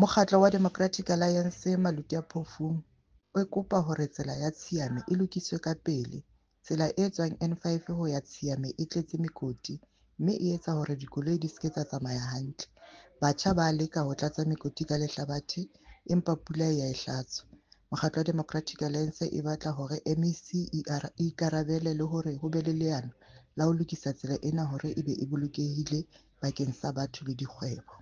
Mokgatlo wa Democratic Alliance Maluti-a-Phofung o kopa hore tsela ya Tshiame e lokiswe ka pele. Tsela e tswang N5 ho ya Tshiame e tletse mekoti, mme e etsa hore dikoloi di ske tsa tsamaya hantle. Batjha ba leka ho tlatsa mekoti ka lehlabathe, empa pula ya e hlatswa. Mokgatlo wa Democratic Alliance e batla hore MEC e ikarabele le hore ho be le leano la ho lokisa tsela ena hore e be e bolokehile bakeng sa batho le dikgwebo.